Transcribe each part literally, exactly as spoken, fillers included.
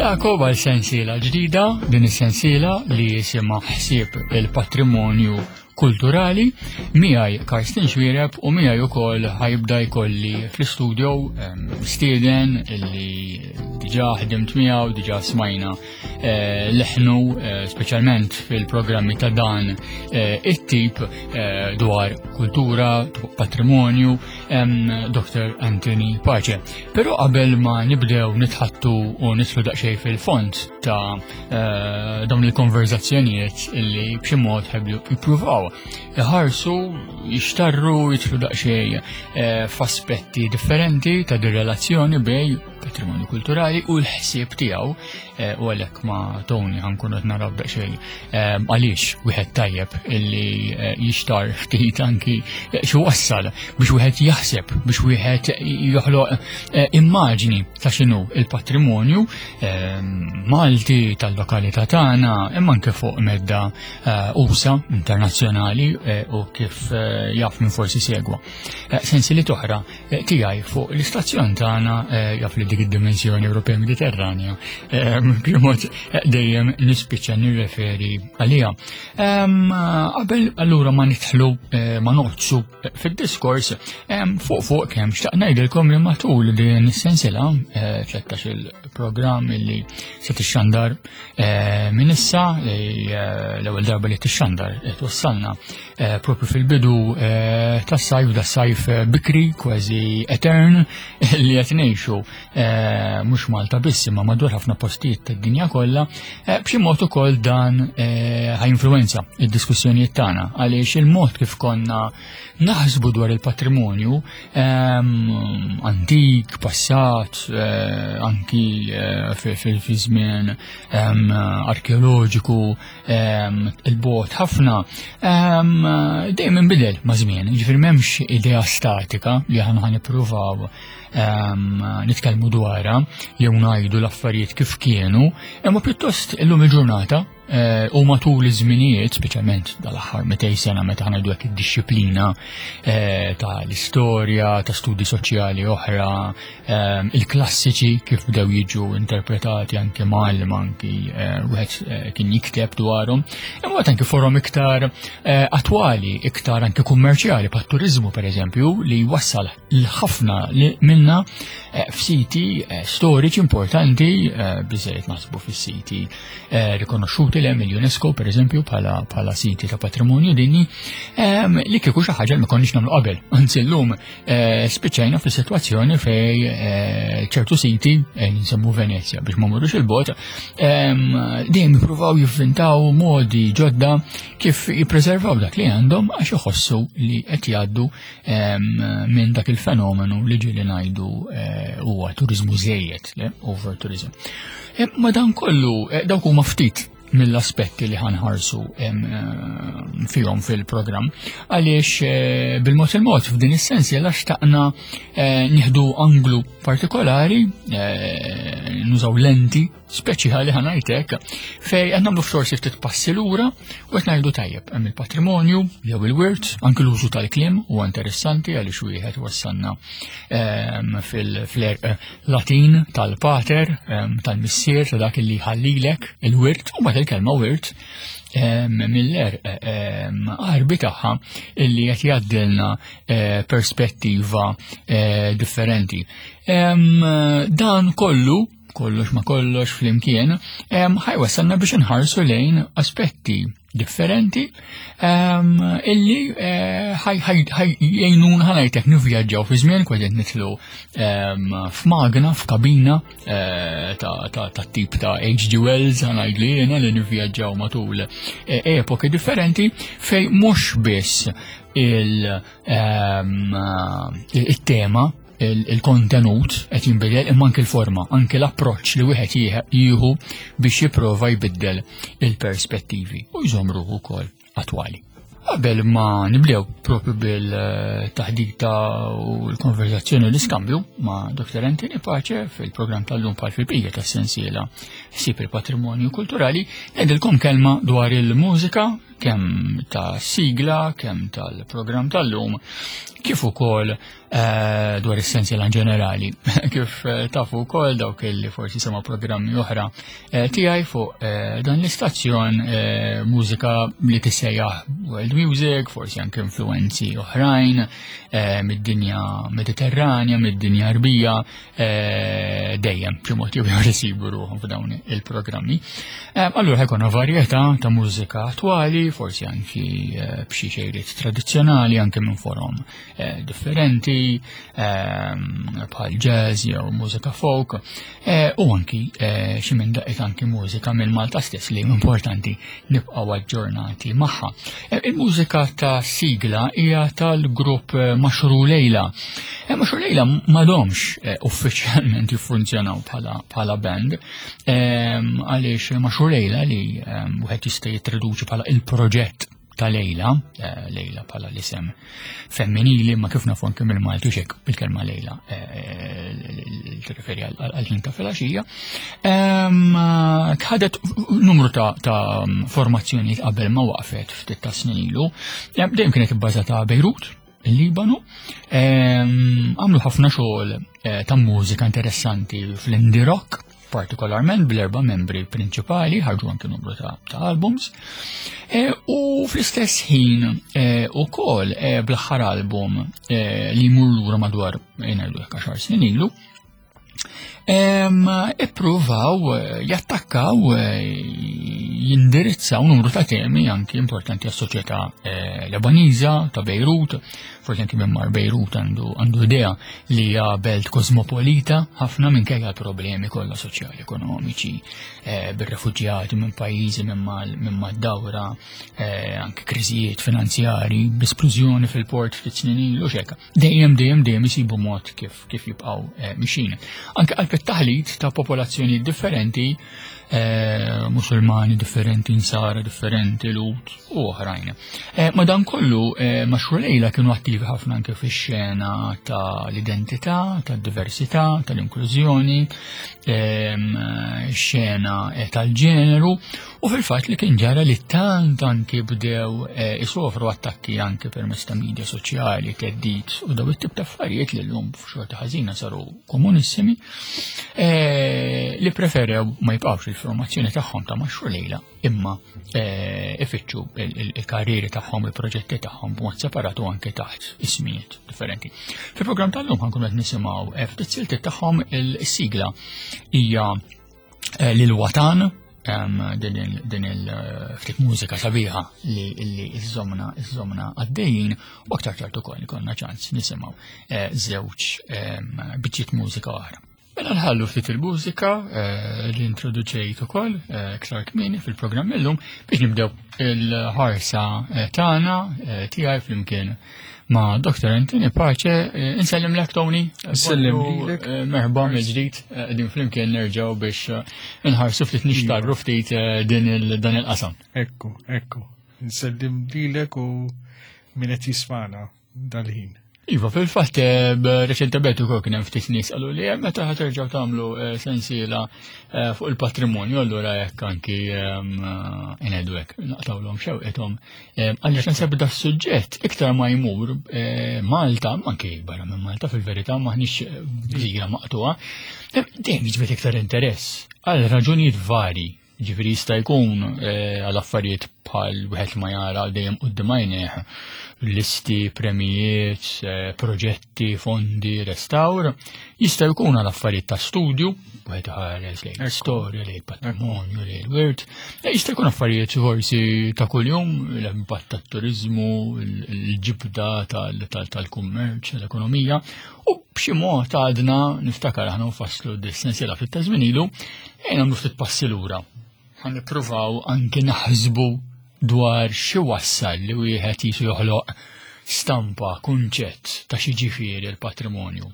Nilqagħkom għal sensiela ġdida, din is-sensiela li jisimha Ħsieb il-Patrimonju Kulturali, miegħi Karsten Xuereb u miegħi ukoll ħa jibda jkolli fl-istudio stieden illi diġà ħdimt miegħu, diġà smajna eh, leħnu eh, speċjalment fil-programmi ta' dan eh, it-tip dwar kultura, patrimonju, Doctor Anthony Pace. Però qabel ma nibdew nitħaddtu u nidħlu daqsxejn fil-fond ta' dawn il-konverzazzjonijiet illi b'xi mod ħa jippruvaw iħarsu, jixtarru, jidħlu daqsxejn eh, f'aspetti differenti ta' din relazzjoni bejn patrimonju kulturali u l-ħsieb tiegħu eh, u għalhekk ma' Tony ħa nkunu qed naraw daqsxejn eh, għaliex wieħed tajjeb illi jixtar ftit anki xi wassal biex wieħed jaħseb, biex wieħed joħloq immaġni ta' x'inhu il-patrimonju Malti tal-lokalità tagħna, imma anke fuq medda usa' internazzjonali u kif jaf minn forsi segwa sensiliet oħra tiegħi fuq l-istazzjon tagħna, jaf li dik id-dimensjoni Ewropea Mediterranja b'mod dejjem nispiċċa nirreferi għalija. Qabel allura ma nidħlu, ma noqgħodsu fid-diskors, fuq fuq kemm xtaqt ngħidilkom li matul din is-sensiela, tlettax il-programm illi se tixxandar minn issa, l-ewwel darba li tixxandar twassalna propju fil-bidu tas-sajf, da sajf bikri kważi etern li qed ngħixu mhux Malta biss imma madwar ħafna postijiet tad-dinja kollha, b'xi mod ukoll dan ħa jinfluwenza id-diskussjonijiet tagħna, għaliex il-mod kif konna naħsbu dwar il-patrimonju antik, passat, anki fi żmien arkeoloġiku, il-bogħod ħafna, dejjem inbidel ma' żmien, ġifieri m'hemmx idea statika li aħna ħa nippruvaw nitkellmu dwarha jew ngħidu l-affarijiet kif kienu, imma pjuttost illum il-ġurnata u matul iż-żminijiet, speċjalment dal-aħħar mitejn sena meta ħa ngħidu hekk id-dixxiplina ta' l-istorja, ta' studi soċjali oħra, il-klassiċi kif bdew jiġu interpretati anke mal anki wieħed kien jikteb dwarhom, imma anke forom iktar attwali, iktar anke kummerċjali, bħat turiżmu pereżempju, li wassal l-ħafna minna f'siti storiċi importanti, biżejjed naħsbu fis-siti rikonoxxuti li hemm il-UNESCO pereżempju bħala siti ta' patrimonju dinji, li kieku xi ħaġa li ma konniex nagħmlu qabel. Anzi llum spiċċajna fis-sitwazzjoni fej ċertu siti, nsemmu Venezja biex ma mmorrux il-bogħod, dejjem jippruvaw jivvintaw modi ġodda kif jippreservaw dak li għandhom għax iħossu li qed jgħaddu minn dak il-fenomenu li ġieli ngħidu huwa turiżmu żejjed, over tourism. Ma dan kollu, dawk huma ftit mill-aspetti li ħa nħarsu fihom fil-programm, għaliex bil-mod il-mod f'din is-sens jella xtaqna nieħdu anglu partikolari, nużaw lenti speċjali ħa ngħidlek, fej qed nagħmlu forsi ftit passi lura u qed ngħidu tajjeb hemm il-patrimonju jew il-wirt, anke l-użu tal-kliem huwa interessanti għaliex wieħed wassalna fil-għerq Latin tal-pater, tal-missier, ta' dak li ħallilek il-wirt, u mbagħad il-kelma wirt mill-għerq Għarbi tagħha illi qed jgħaddilna perspettiva differenti. Dan kollu, kollox ma kollox flimkien, ħa jwassalna biex nħarsu lejn aspetti differenti illi ħa jgħinuna ħa ngħidlek nivvjaġġaw fi żmien, kważi nidħlu f'magna, f'kabina ta' tip ta' H G. Wells ħa ngħidli jiena, li nivvjaġġaw matul epoki differenti fej mhux biss il-tema, il-kontenut qed jinbidel, imma anke l-forma, anke l-approċċ li wieħed jieħu biex jipprova jbiddel il-perspettivi u jżomm ruħu wkoll attwali. Qabel ma nibdew propju bil-taħdita u l-konverzazzjoni u l-iskambju ma' Doctor Anthony Pace fil-programm tal-lum bħal fil-bqija tas-sensiela Ħsieb il-Patrimonju Kulturali, ngħidilkom kelma dwar il-mużika. kemm ta' sigla, kemm tal-programm tal-lum, kif ukoll eh, dwar is-sensiela in ġenerali. Kif eh, tafu wkoll dawk li forsi sema programmi oħra eh, tiegħi fuq dan l-istazzjon, mużika li tissejjaħ world music, forsi anke influenzi oħrajn mid-dinja Mediterranja, mid-dinja Arbija, dejjem b'xi mod jew ieħor isibu ruħhom f'dawn il-programmi. Allura ħa jkollna varjetà ta' mużika attwali, forsi anki b'xi xejriet tradizzjonali, anke minn forom differenti, bħal jazz jew mużika folk, u anki xi minn daqqiet anki mużika minn Malta stess li importanti nibqgħu aġġornati magħha. Il-mużika ta' sigla hija tal-grupp Mashru Lejla. Mashru Lejla m'għadhomx uffiċjalment jiffunzjonaw bħala band, għaliex Mashru Lejla li wieħed jista' jittraduċi bħala il-proġett ta' Lejla, Lejla bħala l-isem femminili, ma kif nafu anke mill-Malti xek il-kelma Lejla tirreferi għal-ħin ta' filgħaxija. Ħadet numru ta' formazzjoni qabel ma waqfet ftit ta' snin ilu. Dejjem kienet ibbażata Bejrut, il-Libanu. Għamlu ħafna xogħol ta' mużika interessanti fl-indie rock, partikolarment bl-erba' membri prinċipali, ħarġu anke numru ta', ta albums. E, u fl-istess ħin e, ukoll e, bl-aħħar album e, li jmur lura madwar ngħidu hekk għaxar snin ilu, ippruvaw jattakkaw, jindirizzaw numru ta' temi anki importanti għas-soċjetà Lebaniża ta' Bejrut. Forsi anki minn mar Bejrut għandu għandu idea li hija belt kosmopolita ħafna minkejja l-problemi kollha soċjali, ekonomiċi, bir-refuġjati minn pajjiżi minn mad-dawra, anke kriżijiet finanzjari, b'esplużjoni fil-port ftit snin ilu xeka. Dejjem dejjem dejjem isibu mod kif kif jibqgħu mixin. Anke qalb it-taħlit ta' popolazzjoni differenti, eh, musulmani differenti, insara differenti, Lhud u oħrajn. Eh, ma dan kollu eh, Mashru Lejla kienu attivi ħafna anke fix-xena tal-identità, tad-diversità, tal-inklużjoni, xena tal-ġeneru, u fil-fatt li kien ġara li tant anki bdew isofru attakki anke permezz ta' media soċjali, theddid u daw it-tip ta' affarijiet li llum f'xorta ħażina saru komunissimi, li preferew ma jibqgħux il-formazzjoni tagħhom ta' Mashru Lejla imma ifittxu il-karrieri tagħhom, il-proġetti tagħhom b'mod separatu anke taħt ismijiet differenti. Fil-programm tal-lum ħa nkunu qed nisimgħu ftit siltiet tagħhom. Il-sigla hija lil Watan, din il-ftit mużika sabiħa li iżżomna iżżomna għaddejjin, u aktar tard ukoll ikollna ċans nisimgħu żewġ biċċiet mużika oħra. Mela nħallu ftit il-mużika li introduċejt ukoll iktar kmieni fil-programm illum biex nibdew il-ħarsa tagħna tiegħi flimkien ma' Doktor Anthony Pace. Insellim lek, Tony. Insellim lilek. Merħba mill-ġdid, din flimkien nerġgħu biex inħarsu ftit, nixtarru ftit din dan il-qasam. Ekku, ekku. Insellim lilek u min qed jismana dal-ħin. Iva, fil-fatt, reċentement ukoll kien hemm ftit nies qalu li meta ħa terġgħu tagħmlu sensiela fuq il-patrimonju, allura hekk anki ngħidu hekk naqtawlhom xewqethom. Għaliex naħseb da suġġett iktar ma jmur Malta, anki barra minn Malta fil-verità, maħniex gżira maqtuha, dejjem jiġbed iktar interess għal raġunijiet vari. Ġifieri jista' jkun għal affarijiet bħal wieħed ma jara dejjem quddiem għajnejh listi, premijiet, proġetti, fondi, restawr, jista' jkun għal affarijiet ta' studju, wieħed iħares lejn l-istorja, lejn il-patrimonju, lejn il-wirt, jista' jkun affarijiet forsi ta' kuljum, l-impatt tat-turiżmu, il-ġibda tal-kummerċ, l-ekonomija, u b'xi mod għadna niftakar aħna nfasslu dis-sensiela ftit ta' żmien ilu, ejja nagħmlu ftit passi lura. Ħa nippruvaw anke naħsbu dwar xi wassal li wieħed jisu joħloq stampa, kunċett ta' xi ġifieri l-patrimonju.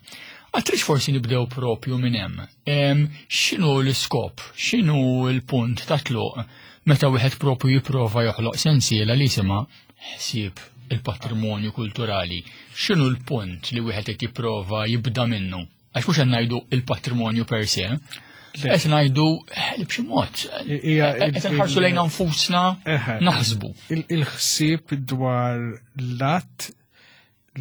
Għatrix forsi nibdew propju minn hemm. X'inhu l-iskop, x'inhu l-punt ta' tluq meta wieħed propju jipprova joħloq sensiela li jisimha ħsieb il-patrimonju kulturali? X'inhu l-punt li wieħed qed jipprova jibda minnu? Għax mhux qed ngħidu il-patrimonju per se. Qed ngħidu li b'xi mod qed nħarsu lejn nfusna naħsbu. Il-ħsieb dwar l-att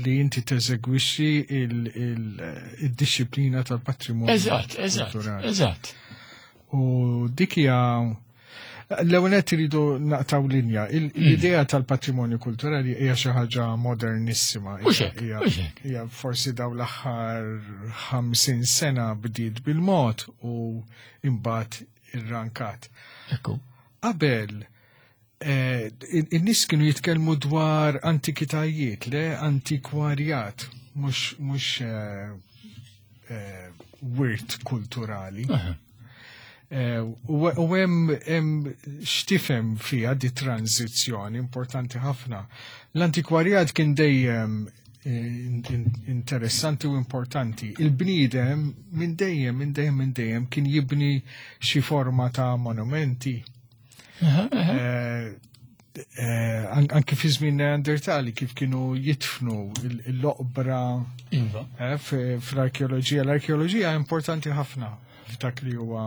li inti teżegwixxi il-dixxiplina tal-patrimonju. Eżatt, eżatt, eżatt. U dik hija l-ewwel nett iridu naqtaw linja. L-idea tal-patrimonju kulturali hija xi ħaġa modernissima. Hija forsi daw l-aħħar ħamsin sena bdiet bil-mod u imbagħad irrankat. Ekku. Qabel in-nies kienu jitkellmu dwar antikitajiet, le antikwarjat, mhux wirt kulturali. U hemm x'tifhem fiha di tranzizzjoni importanti ħafna. L-antikwarjat kien dejjem interessanti u importanti. Il-bniedem minn dejjem, minn dejjem, minn dejjem kien jibni xi forma ta' monumenti. Anki fi żmien Neandertali kif kienu jitfnu l-oqbra fl-arkeoloġija. L-arkeoloġija importanti ħafna f'dak li huwa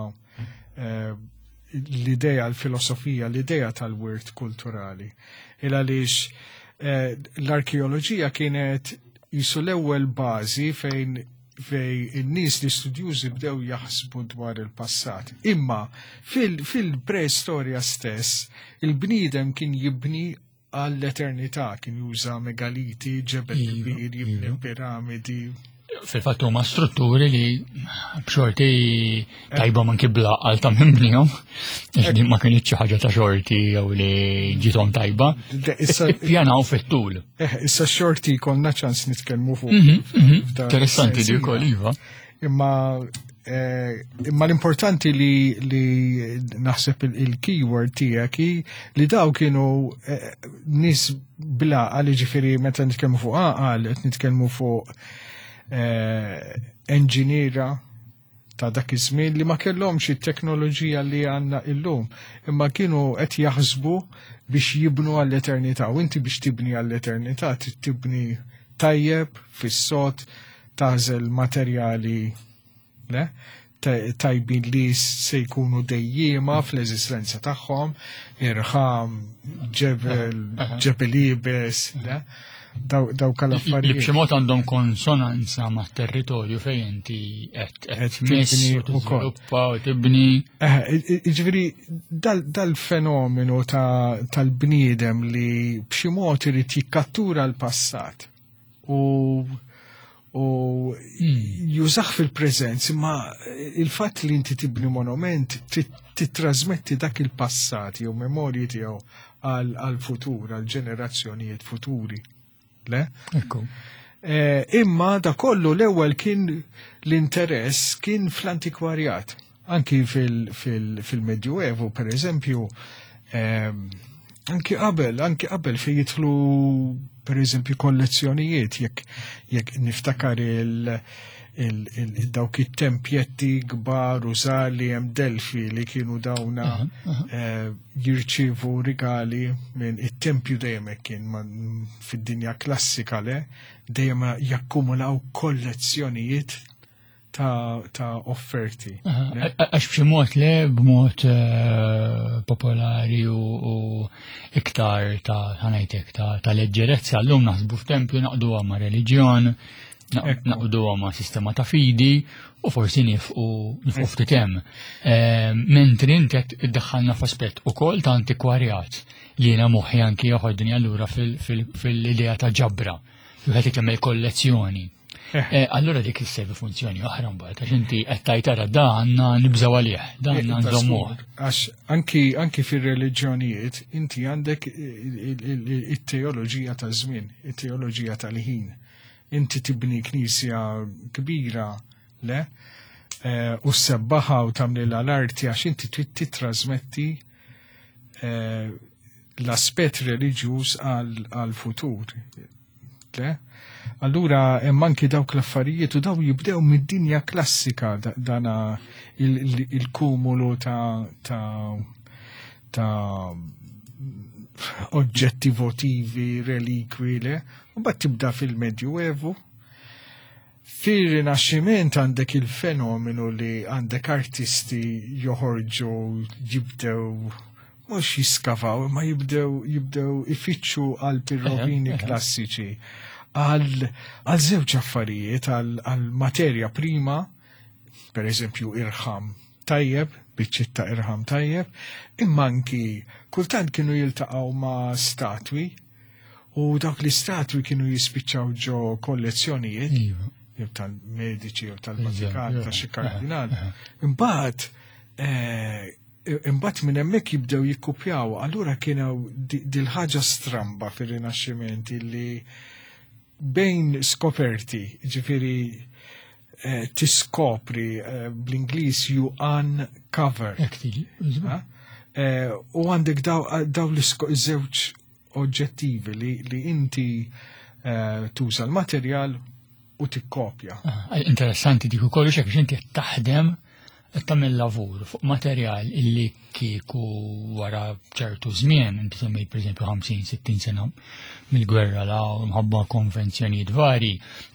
l-idea, l-filosofija, l-idea tal-wirt kulturali. Il għaliex l-arkeoloġija kienet jisu l-ewwel bażi fejn fej in-nies li studjużi bdew jaħsbu dwar il-passat. Imma fil-preistorja stess, il-bniedem kien jibni għall-eternità, kien juża megaliti, ġebel kbir, jibni piramidi. Fil-fatt huma strutturi li b'xorti tajba man kibla għal ta' minn bnihom, għax din ma kienx xi ħaġa ta' xorti jew li ġiethom tajba. Ippjanaw fit-tul. Issa xorti konna ċans nitkellmu fuq. Interessanti li wkoll iva. Imma imma l-importanti li li naħseb il-keyword tiegħek hi li daw kienu nies bla għal, ġifieri meta nitkellmu fuq għaqal qed nitkellmu fuq enġiniera ta' dak iż-żmien li ma kellhomx it-teknoloġija li għandna illum, imma kienu qed jaħsbu biex jibnu għall-eternità, u inti biex tibni għall-eternità trid tibni tajjeb fis-sod, tażel materjali le tajbin li se jkunu dejjiema fl-eżistenza tagħhom, irħam, ġebel, ġebel iebes, le? Daw kal-affarijiet. Li b'xi mod għandhom konsonanza ma' territorju fejn inti qed tmiss u tiżviluppa u tibni. Jiġifieri dal-fenomenu tal-bniedem li b'xi mod irid jikkattura l-passat u u jużah fil-preżenz, imma il-fatt li inti tibni monument titrasmetti dak il-passat jew memorji tiegħu għal-futur, għal-ġenerazzjonijiet futuri. Le? Ekku. Imma da kollu l-ewwel kien l-interess kien fl-antikwarjat. Anki fil-Medjuevu, per eżempju, anki qabel, anki qabel fejn jidħlu per eżempju kollezzjonijiet, jekk jekk niftakar il dawk it-tempjetti kbar u żgħar li hemm Delfi li kienu dawna jirċievu rigali minn it-tempju dejjem hekk kien fid-dinja klassika le, dejjem jakkumulaw kollezzjonijiet ta' offerti. Għax b'xi mod le, b'mod popolari u iktar ta' ħanajtek ta' leġġerezza, llum naħsbu f'tempju naqduha ma' reliġjon, naqduha ma' sistema ta' fidi u forsi nifqu nifqu ftit hemm. Mentri inti qed iddaħħalna f'aspett ukoll ta' antikwarjat li jiena moħħi anki joħodni allura fil-idea ta' ġabra, wieħed jagħmel kollezzjoni. Allura dik isservi funzjoni oħra mbagħad għax inti qed tgħid ara da għandna nibżgħu għalih, da għandna nżommuh. Għax anki anki fir-reliġjonijiet inti għandek it-teoloġija taż-żmien, it-teoloġija tal-ħin. Inti tibni knisja kbira, le, u ssebbaħha u tagħmlilha l-arti għax inti trid titrasmetti l-aspett reliġjuż għall-futur. Le? Allura hemm anki dawk l-affarijiet u daw jibdew mid-dinja klassika dana il-kumulu ta' ta' ta' oġġetti votivi, relikwi, le? U mbagħad tibda fil-Medjuevu Fir-Rinaxximent għandek il-fenomenu li għandek artisti joħorġu, jibdew mhux jiskavaw, ma jibdew jibdew ifittxu għal rovini klassiċi, għal għal żewġ affarijiet, għal għal materja prima, per eżempju irħam tajjeb, biċċiet ta' irħam tajjeb, imma anki kultant kienu jiltaqgħu ma' statwi u dawk l-istatwi kienu jispiċċaw ġo kollezzjonijiet Iva. jew tal-Medici jew tal-Vatikan, Iva, ta' xi iva, kardinal. iva. Imbagħad eh, imbagħad minn hemmhekk jibdew jikkupjaw, allura kienu dil-ħaġa stramba fir-Rinaxximent illi bejn skoperti, ġifieri eh, tiskopri, eh, bl-Ingliż you uncover. Hekk tiġi. Ha? Eh, U għandek daw, daw l-żewġ oġġettivi li, li inti eh, tuża l-materjal u tikkopja. Ah, interessanti dik ukoll xek biex inti qed taħdem, qed tagħmel lavur fuq materjal illi kieku wara ċertu żmien, inti semmejt pereżempju ħamsin sittin sena mill-gwerra la mħabba konvenzjonijiet vari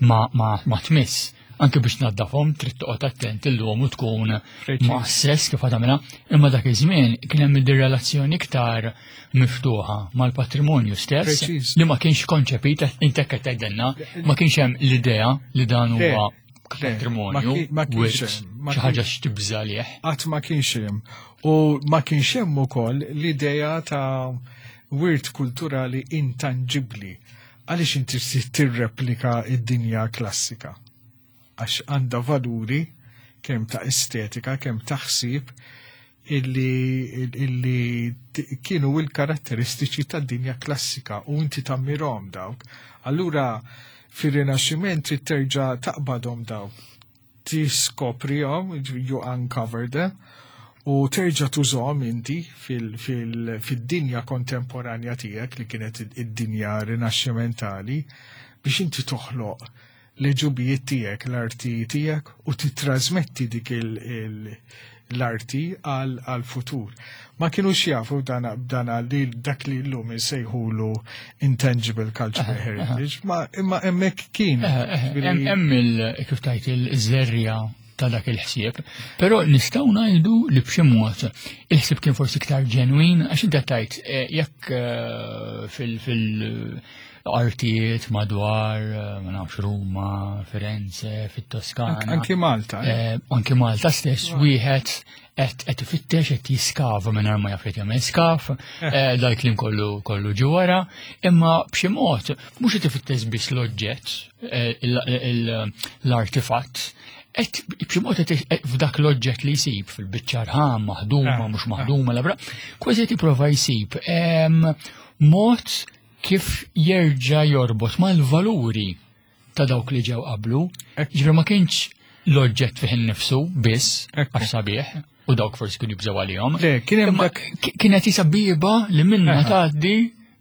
ma, ma, ma tmiss. Anke biex naddafhom trid toqgħod attent illum u tkun Preċiż. ma' kif tagħmilha, imma dak iż-żmien kien hemm relazzjoni iktar miftuħa mal-patrimonju stess Preċiż. li ma kienx konċepit, inti qed tgħidilna, ma kienx hemm l-idea li dan Le, huwa le, patrimonju, ma ki- ma kienx wirt, hemm, ma xi ħaġa kienx. x'tibża lih. Qatt ma kienx hemm. U ma kienx hemm ukoll l-idea ta' wirt kulturali intangibli. Għaliex inti trid tirreplika id-dinja klassika? Għax għandha valuri kemm ta' estetika, kemm ta' ħsieb illi, illi t- kienu il-karatteristiċi tad-dinja klassika u inti tammirhom dawk. Allura fir-Rinaxximent trid terġa' taqbadhom dawk, tiskoprihom, you uncover them, u terġa' tużhom inti fil-dinja kontemporanja tiegħek li kienet id-dinja rinaxximentali biex inti toħloq l-ġubijiet tiegħek, l-arti tiegħek, u titrasmetti dik l-arti għal-futur. Ma kienux jafu dana, dana li dak li l-lum insejħulu intangible cultural heritage, ma imma hemmhekk kien. Hemm il kif tajt il-żerriegħa ta' dak il-ħsieb, però nistgħu ngħidu li b'xi mod il-ħsieb kien forsi iktar ġenwin, għax inta tajt eh, jekk eh, fil- fil- artijiet madwar, eh, ma nafx, Ruma, Firenze, fit-Toskana. Anki Malta. Anki Malta stess, wieħed qed qed ifittex, qed jiskava mingħajr ma jaf li jagħmel skaf, dal kliem kollu kollu ġi wara, imma b'xi mod mhux qed ifittex biss l-oġġett, l-artifatt, et b'xi mod f'dak l-oġġett li jsib fil-biċċa rħam maħduma, mhux maħduma, labra, kważi qed jipprova jsib mod kif jerġa' jorbot mal-valuri ta' dawk li ġew qablu. Ġifieri ma kienx l-oġġett fih innifsu biss għax sabiħ u dawk forsi kienu jibżgħu għalihom. Le, kien hemm dak kienet jisa bieba li minna tgħaddi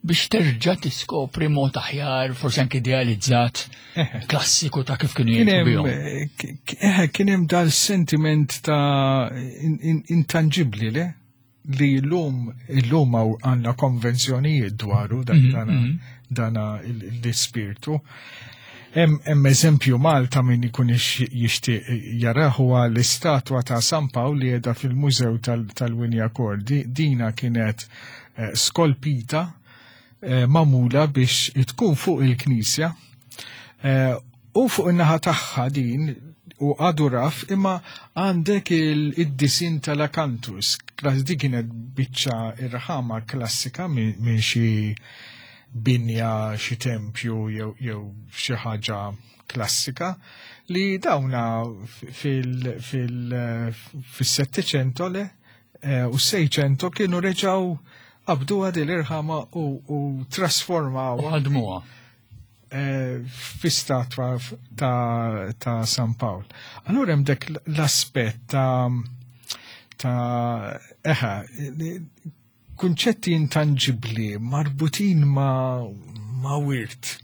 biex terġa' tiskopri mod aħjar, forsi anke idealizzat, klassiku ta' kif kienu jgħixu bihom. Eħe, kien hemm dal-sentiment ta' intangibli, le? Li l-lum, l-lum għandna konvenzjonijiet dwaru dana, dana l-ispirtu. Hemm eżempju Malta min ikun jixtieq jarah, huwa l-istatwa ta' San Pawl li qiegħda fil-Mużew tal-Wignacourt. Dina kienet eh, skolpita, eh, magħmula biex tkun fuq il-knisja eh, u fuq in-naħa tagħha din u għadu raf imma għandek il-disin tal-akantus. Di kienet biċċa irħama klassika minn xi binja, xi tempju jew jew xi ħaġa klassika li dawna fil-Settecento le eh, u Seicento kienu reġaw qabdu għad l-irħama u, u trasformaw Ħadmuha. eh, fi statwa ta', ta San Pawl. Allura hemm dak l-aspett ta' ta' eħa, kunċetti intangibli marbutin ma, ma wirt,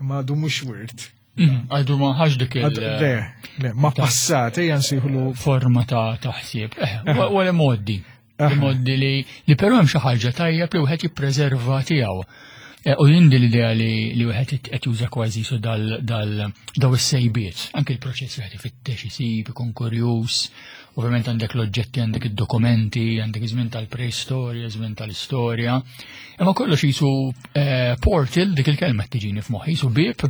ma għadu mhux wirt. Mm, għadu ma ħax dik il- Le, le, ma passat, ejja nsejħulu forma ta' taħsib. Eh, u l-modi. Modi li li però hemm xi ħaġa tajjeb li wieħed jippreserva tiegħu. Eh, u jien din l-idea li li wieħed qed juża kważi su dal dal daw is-sejbiet, anke l-proċess wieħed ifittex isib, ikun kurjuż. Ovvjament għandek l-oġġetti, għandek id-dokumenti, għandek iż-żmien tal-preistorja, żmien tal-istorja. Imma kollox jisu eh, portal, dik il-kelma tiġini f'moħħi, jisu bib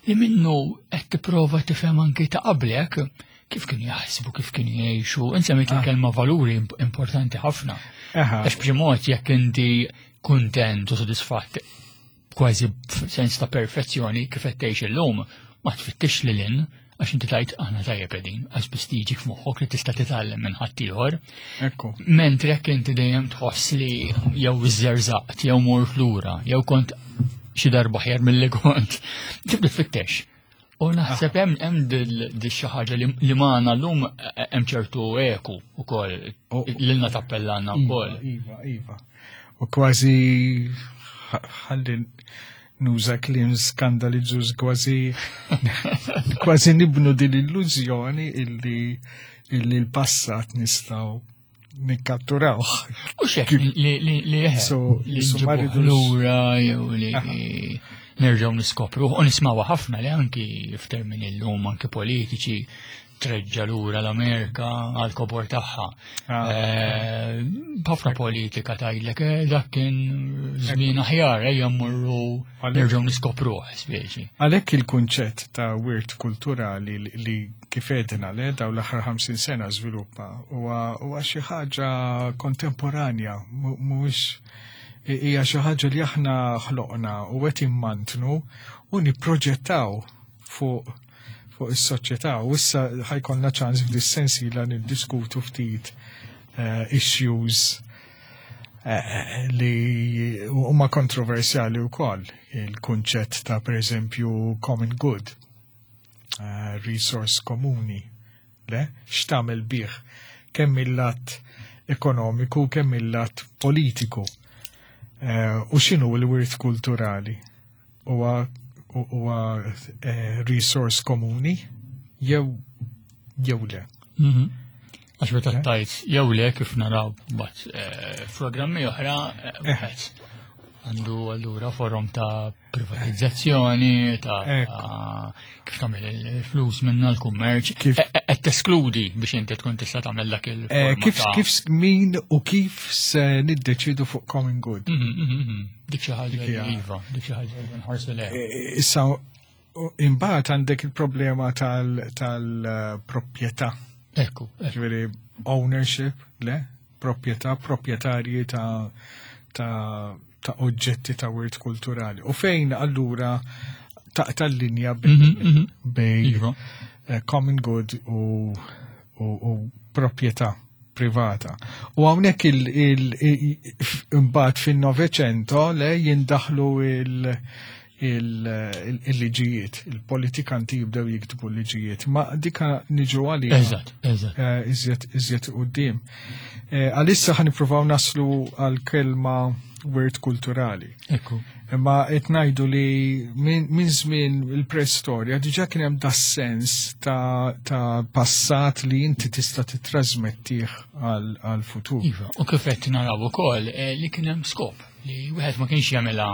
li minnu qed tipprova tifhem anke ta' qablek kif kienu jaħsbu, kif kienu jgħixu. Insemmit ah. il-kelma valuri importanti ħafna. Għax b'xi mod jekk inti kuntent u sodisfatt kważi sens ta' perfezzjoni kif qed tgħix illum, ma tfittix lil hinn għax inti tajt aħna tajjeb qegħdin, għax biss tiġi f'moħħok li tista' titgħallem minn ħaddieħor. Ekku. Mentri jekk inti dejjem tħoss li jew iżżerżaqt, jew mort lura, jew kont xi darba ħjar milli kont, tibda tfittex. U naħseb hemm hemm dil xi ħaġa li magħna llum hemm ċertu eku wkoll lilna tappellana wkoll. Iva, iva. U kważi ħalli nuża kliem skandalizzjuż kważi kważi nibnu din l-illużjoni illi illi l-passat nistgħu nikkatturawh. U xek li li li li lura jew li nerġgħu niskopru u nismawha ħafna li anki f'termini llum anki politiċi treġġa lura l-Amerika għal kobor tagħha. Ah. Eh, ħafna politika tgħidlek eh, dak kien żmien aħjar ejja mmorru nerġgħu niskopruh speċi. Għalhekk il-kunċett ta' wirt kulturali li kif edna le daw l-aħħar ħamsin sena żviluppa huwa xi ħaġa kontemporanja, mhuwiex hija xi ħaġa li aħna ħloqna u qed immantnu u nipproġettaw fuq fuq is-soċjetà u issa ħajkollna ċans f'dis-sensiela niddiskutu ftit uh, issues uh, li huma kontroversjali wkoll il-kunċett ta' pereżempju common good, uh, resource komuni, le x'tagħmel bih kemm il-lat ekonomiku kemm il-lat politiku. Uh, u x'inhu l-wirt kulturali? Huwa huwa eh, resource komuni jew jew le. Mhm. Għax meta tajt jew le kif naraw bat eh, programmi oħra eh, wieħed għandu allura forum ta' privatizzazzjoni, ta' kif tagħmel il-flus minna l-kummerċ, qed teskludi biex inti tkun tista' tagħmel dak il Kif kif min u kif se niddeċidu fuq common good. Mhm, mhm, mhm. Dik xi ħaġa iva, dik xi ħaġa nħarsu le. Issa imbagħad għandek il-problema tal-proprjetà. Ekku. Ġifieri ownership, le? Proprjetà, proprjetarji ta' ta' ta' oġġetti ta' wirt kulturali. U fejn allura taqta' l-linja bej Iva. eh, common good u, u, u proprjetà privata. U hawnhekk il-imbagħad fin-Novecento le jindaħlu il- il-liġijiet, il-politikanti jibdew jiktbu l-liġijiet, ma dika niġu għalija. Eżatt, eżatt. Eh, iżjed iżjed quddiem. Eh, għalissa ħa nippruvaw naslu għal kelma wirt kulturali. Ekku. Imma qed ngħidu li minn żmien il-preistorja diġà kien hemm das-sens ta', ta passat li inti tista' titrasmettih għal futur. Iva, u kif qed naraw ukoll eh, li kien hemm skop li wieħed ma kienx jagħmilha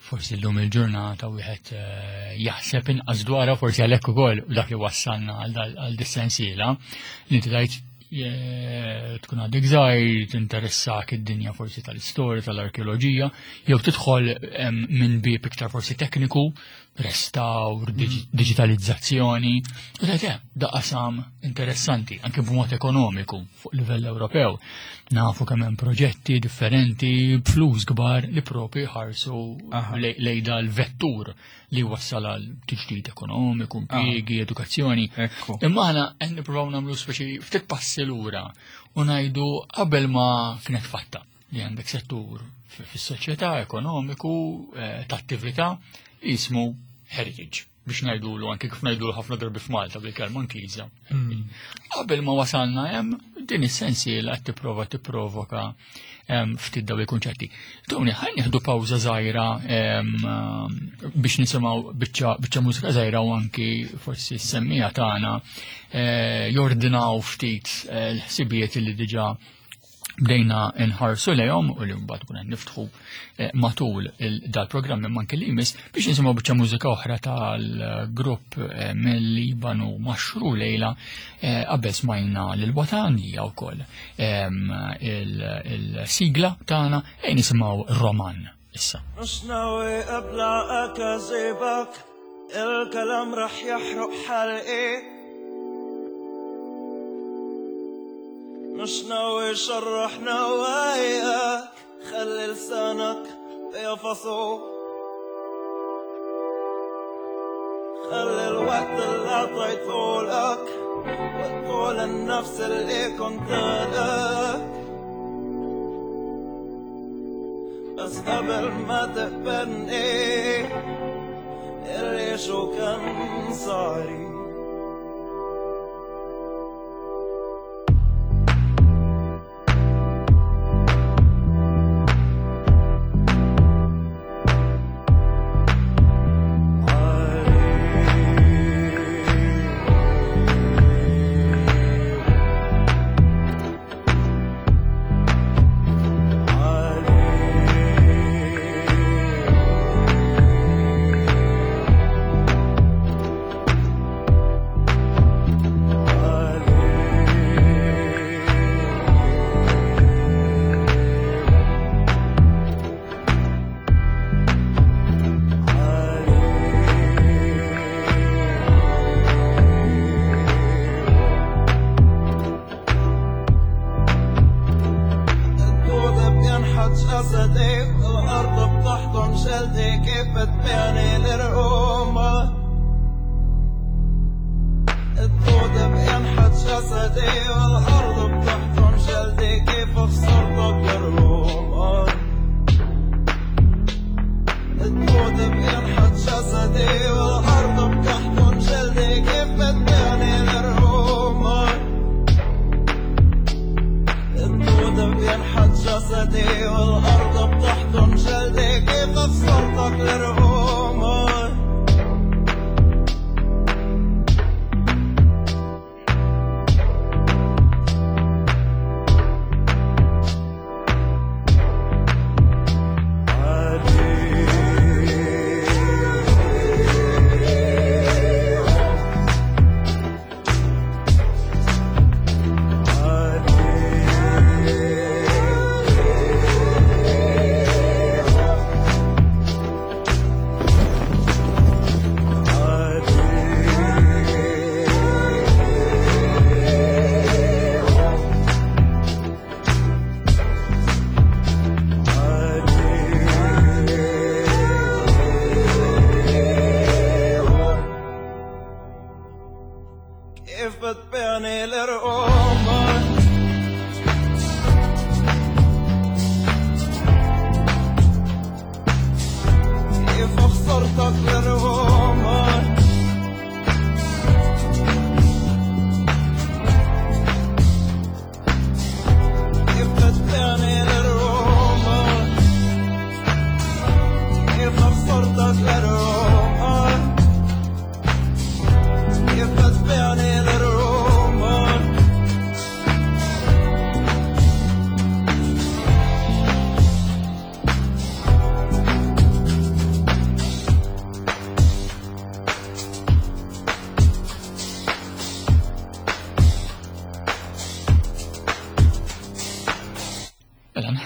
forsi llum il-ġurnata wieħed eh, jaħseb inqas dwarha forsi għalhekk ukoll dak li wassalna għal dis-sensiela li inti tgħid eh, tkun għadek żgħir, tinteressak id-dinja forsi tal-istorja, tal-arkeoloġija, jew tidħol minn bieb iktar forsi tekniku, restawr, mm. digitalizzazzjoni, u tgħid eh, da qasam interessanti anke b'mod ekonomiku fuq livell Ewropew. Nafu kemm hemm proġetti differenti b'flus kbar li propri ħarsu lejn dal-vettur li wassal għal tiġdid ekonomiku, impjiegi, edukazzjoni. Imma aħna qed nippruvaw nagħmlu speċi ftit passi lura u ngħidu qabel ma kienet fatta li għandek settur fis-soċjetà ekonomiku eh, ta' attività jismu heritage biex ngħidulu anke kif ngħidulu ħafna drabi f'Malta bil-kelma Ingliża. Hmm. Qabel ma wasalna hemm din is-sensiela qed tipprova tipprovoka ftit daw il-kunċetti. Tony, ħa nieħdu pawża żgħira biex nisimgħu biċċa mużika żgħira u anki forsi s-semmija tagħna eh, jordinaw ftit eh, l-ħsibijiet li diġà Bdejna nħarsu lejhom u li mbagħad kuna niftħu matul dal-programm imma anke li jmiss biex nisimgħu biċċa mużika oħra tal-grupp mill-Libanu Maxru Lejla. Qabel smajna lil Watan hija wkoll il-sigla tagħna, ejn nisimgħu Roman issa. مش ناوي ابلع اكاذيبك، الكلام رح يحرق حلقي، مش ناوي شرح نواياك، خلي لسانك بيفصو، خلي الوقت اللي عطيته لك وطول النفس اللي كنت لك، بس قبل ما تقبلني اللي شو كان صاري.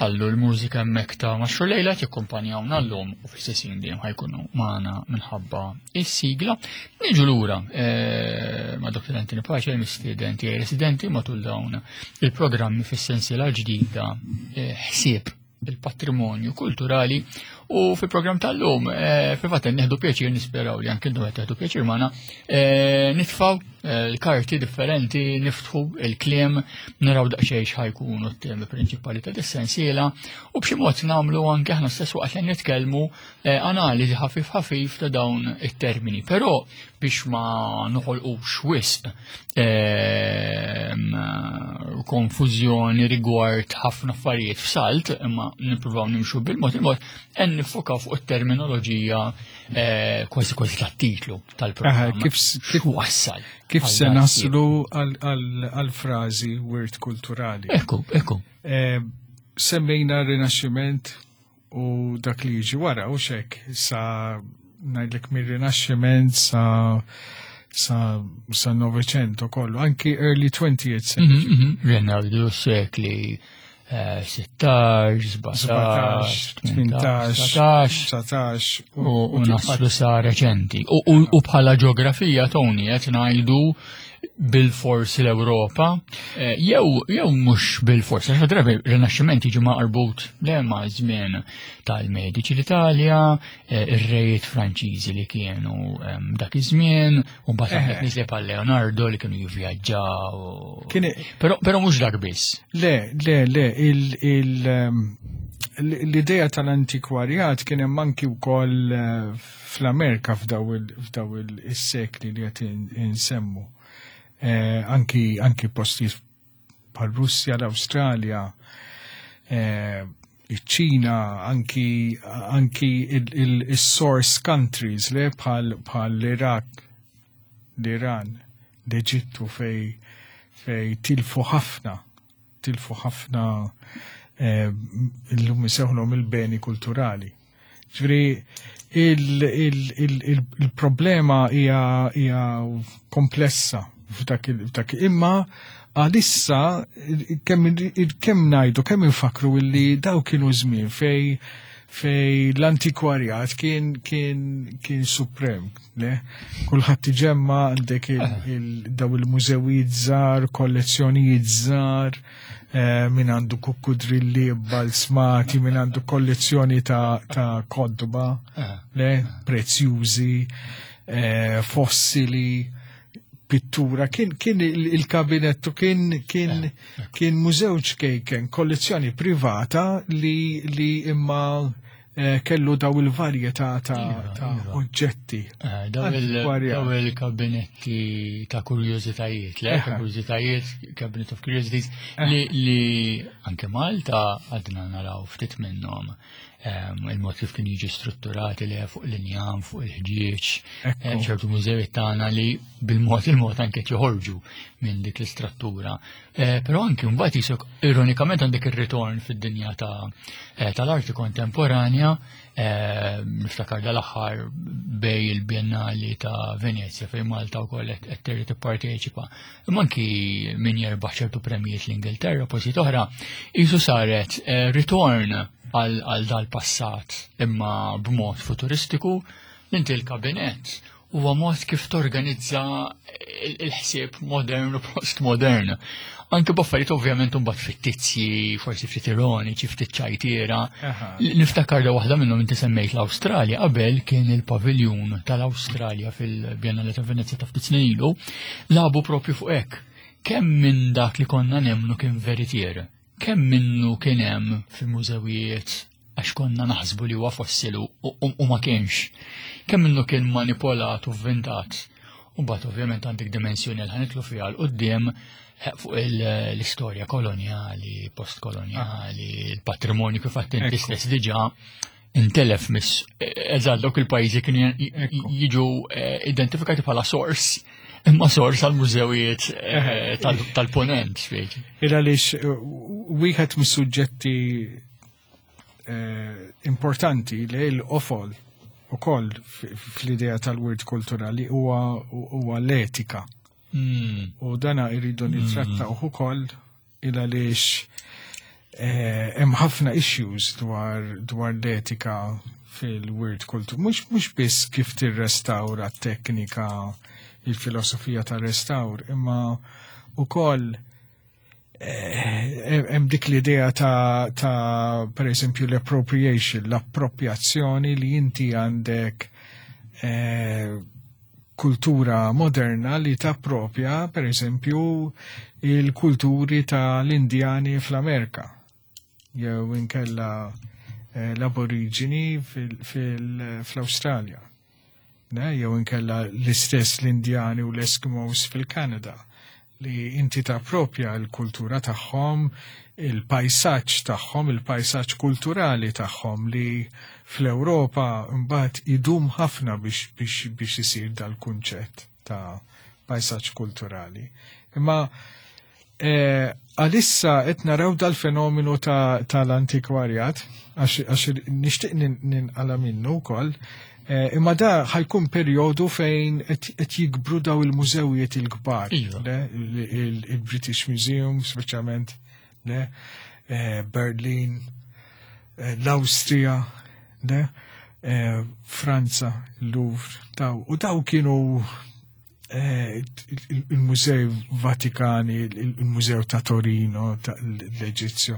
Nħallu l-mużika hemmhekk ta' Maxru Lejla jikkumpanjawna llum u fl-istess dejjem ħajkunu magħna minħabba is-sigla. Niġu lura ma' Doktor Anthony Pace, mistieden tiegħi residenti matul dawn il-programmi fis-sensiela ġdida ħsieb il-patrimonju kulturali, u fil-programm tal-lum fil-fatt nieħdu pjaċir, nisperaw li anke intom qed teħdu pjaċir magħna, nitfgħu l-karti differenti, niftħu il-kliem, naraw daqsxejn x'ħajkunu t-temi prinċipali ta' dis-sensiela, u b'xi mod nagħmlu anke aħna stess waqt li nitkellmu analiżi ħafif ħafif ta' dawn it-termini. Però biex ma noħolqux wisq konfużjoni rigward ħafna affarijiet f'salt, imma nippruvaw nimxu bil-mod il-mod, qed niffokaw fuq it-terminoloġija eh, kważi kważi tat-titlu tal-programm. Kif kif wassal? Kif se naslu għal-frażi wirt kulturali? Ekku, ekku. Eh, semmejna Rinaxximent u dak li jiġi wara u xek sa ngħidlek mir-Rinaxximent sa sa sa Novecento kollu, anki early twentieth century. Mhm, mhm. Renaldu sekli eh, sittax, sbatax, tmintax, dsatax u naslu sa reċenti. U bħala ġeografija, Tony, qed ngħidu bil-fors l-Ewropa, eh, jew jew mhux bil-fors, għax drabi Rinaxximent jiġi marbut le ma' żmien tal-Medici l-Italja, eh, ir-rejiet Franċiżi li kienu dak iż-żmien, u mbagħad għandek nies bħal Leonardo li kienu jivvjaġġaw. Però però mhux dak biss. Le, le, le, il l-idea tal-antikwarjat kien hemm anki wkoll eh, fl-Amerika f'daw il-sekli li qed insemmu. Eh, anki anki postijiet bħal Russja, l-Awstralja, eh, iċ-Ċina, anki anki il-source countries le bħal bħal l-Iraq, l-Iran, l-Eġittu fej fej tilfu ħafna, tilfu ħafna eh, illum isejħulhom il-beni kulturali. Ġifieri il-problema hija komplessa f'dak f'dak imma għalissa kemm kemm ngħidu, kemm infakru illi daw kienu żmien fej fej l-antikwarjat kien kien kien suprem, le? Kulħadd iġemma, għandek daw il-mużewijiet żgħar, kollezzjonijiet żgħar, eh, min għandu kukkudrilli balsmati, min għandu kollezzjoni ta', ta kotba, le? Prezzjużi, eh, fossili, pittura, kien, kien il-kabinettu kien kien kien mużew ċkejken, kollezzjoni privata li, li imma eh, kellu daw il-varjetà ta', Iva, ta iva. oġġetti. Eh, Daw il- Antikwarjat. daw il-kabinetti ta' kurjożitajiet, le? Eħe. Ta' kurjożitajiet, Cabinet of Curiosities, li, li anke Malta għadna naraw ftit minnhom. Em, il-mod kif kien jiġi strutturati li fuq l-injam, fuq il-ħġieġ, Ekku. eh, ċertu mużewiet tagħna li bil-mod il-mod anke joħorġu minn dik l-istruttura. Eh, Però anke mbagħad jisok ironikament għandek ir-ritorn fid-dinja ta' eh, tal-arti kontemporanja, eh, niftakar dal-aħħar bej il-Biennali ta' Venezia fejn Malta wkoll qed qed terġa' tipparteċipa. Imma anki min jerbaħ ċertu premijiet l-Ingilterra, postijiet oħra, qisu saret eh, ritorn għal għal dal-passat imma b'mod futuristiku. Inti l-kabinett huwa mod kif torganizza il- il-ħsieb modern u postmodern. Anke b'affarijiet ovvjament imbagħad fittizji, forsi ftit ironiċi, ftit ċajtiera. Aha. Niftakar da waħda minnhom, inti semmejt l-Awstralja, qabel kien il-paviljun tal-Awstralja fil-Biennale ta' Venezia ta' ftit snin ilu, labu propju fuq hekk. Kemm minn dak li konna nemmnu kien veritier, kemm minnu kien hemm fil-mużewijiet għax konna naħsbu li huwa fossilu u, u, u ma kienx. Kemm minnu kien manipolat u vvintat. U mbagħad ovvjament għandek dimensjoni li ħa nidħlu fiha 'l quddiem fuq il- l-istorja kolonjali, postkolonjali, il-patrimonju kif għedt inti Ekku. stess diġà intelef miss eżatt dawk il-pajjiżi kienu j- Ekku. jiġu eh, identifikati bħala sors, imma sors għal mużewijiet eh, tal- tal-ponent, speċi. Il għaliex eh, wieħed mis-suġġetti eh, importanti li l-qofol ukoll fl-idea tal-wirt kulturali huwa huwa l-etika. Mm. U dana irridu nittrattaw ukoll il għaliex eh, hemm ħafna issues dwar dwar l-etika fil-wirt kultur. Mhux mhux biss kif tirrestawra t-teknika, il-filosofija tar-restawr, imma ukoll eh, hemm dik l-idea ta', ta per eżempju l-appropriation, l-appropriazzjoni li inti għandek eh, kultura moderna li tappropja per eżempju il-kulturi tal-Indjani fl-Amerika jew inkella eh, l-aborigini fil-Awstralja. Ne? Jew inkella l-istess l-Indjani u l-Eskimos fil-Kanada li inti tappropja l-kultura tagħhom, il-pajsaġġ tagħhom, il-pajsaġġ kulturali tagħhom li Fl-Ewropa mbagħad idum ħafna biex biex biex isir dal-kunċett ta' pajsaġġ kulturali. Imma eh, għalissa qed naraw dal-fenomenu ta' tal-antikwarjat, għax għax nixtieq nin- ninqala minnu wkoll, eh, imma da ħa jkun perjodu fejn qed qed jikbru daw il-mużewijiet il-kbar. Iva. Le, il- il- il-British Museum, speċjalment, le, eh, Berlin, eh, l-Awstrija, le, eh, Franza, Louvre, daw. U daw kienu eh, il- il-Mużew Vatikani, il- il-Mużew ta' Torino, ta' l-Eġizzju.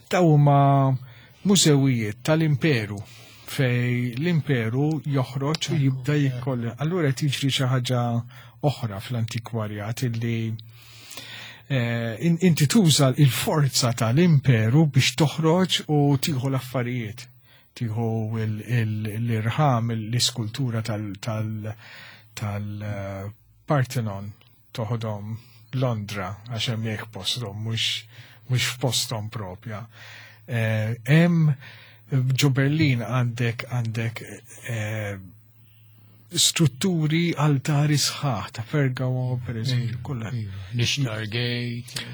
Daw huma mużewijiet tal-imperu fej l-imperu joħroġ u jibda jikkoll. Allura tiġri xi ħaġa oħra fl-antikwarjat illi eh, in- inti tuża il-forza tal-imperu biex toħroġ u tieħu l-affarijiet. Tieħu il- il- l-irħam, l-iskultura tal- tal- tal-Parthenon toħodhom Londra għax hemmhekk posthom mhux mhux f'posthom propja. Eh, Hemm ġo Berlin għandek għandek eh, strutturi altari sħaħ ta' Pergamo per eżempju, kollha. L-Ishtar Gate,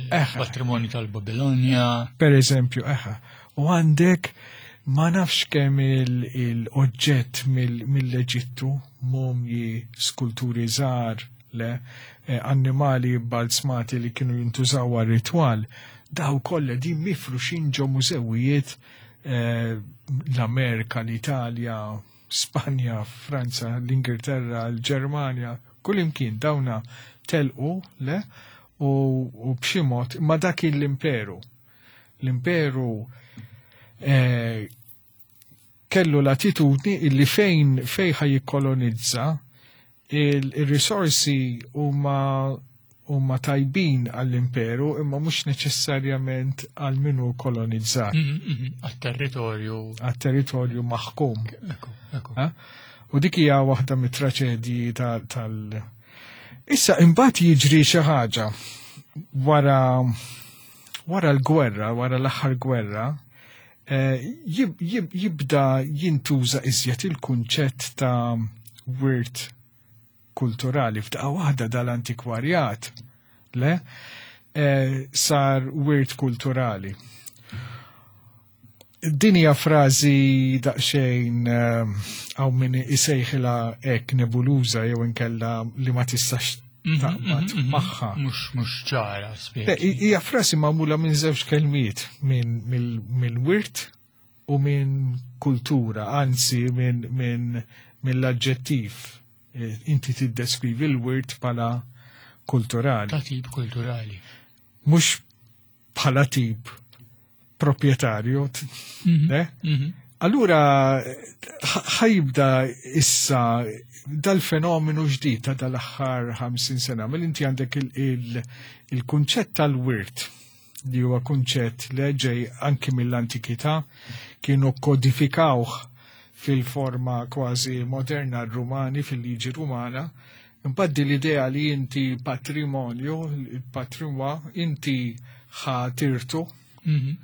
Eħe. patrimonju tal-Babilonja. Per eżempju, eħe. U għandek ma nafx kemm il-oġġett mill-Eġittu, mumji, skulturi żgħar, le, eh, annimali balzmati li kienu jintużaw għal ritwal, daw kollha din mifruxin ġo mużewijiet eh, l-Amerika, l-Italja, Spanja, Franza, l-Ingilterra, l-Ġermanja, kull imkien dawna telqu, le, u, u b'xi mod, ma dak l-imperu. L-imperu eh, kellu l-attitudni illi fejn fejn ħa jikkolonizza il-risorsi huma huma tajbin għall-imperu imma mhux neċessarjament għal minu kolonizzat, Mhm, mhm, Għat-territorju. għat-territorju maħkum. Ekku, ekku. Ha? U dik hija waħda mit-traċedji tal, tal... Issa imbagħad jiġri xi ħaġa wara wara l-gwerra, wara l-aħħar gwerra, eh, jib, jib, jibda jintuża iżjed il-kunċett ta' wirt kulturali f'daqqa waħda dal-antikwarjat, le, eh, sar wirt kulturali. Din hija frażi daqsxejn hawn min isejħilha hekk nebuluża jew inkella li ma tistax Mhm, taqbad mhm, mhm. magħha. Mhux mhux ċara Le, spjeg. hi- Hija frasi magħmula minn żewġ kelmiet, minn mill- mill-wirt u minn kultura, anzi minn minn mill-aġġettiv. Eh, Inti tiddeskrivi l-wirt bħala kulturali, Ta' tip kulturali. mhux bħala tip proprjetarju, t- Mhm, le? mhm. Allura ħ- ħajibda issa dal-fenomenu ġdid ta' dal-aħħar ħamsin sena, mill inti għandek il- il- il-kunċett tal-wirt li huwa kunċett li ġej anki mill-antikità kienu kodifikawh fil-forma kważi moderna r-Rumani, fil-liġi Rumana. Imbagħad din l-idea li inti patrimonju, il-patrimwa, inti ħatirtu Mhm.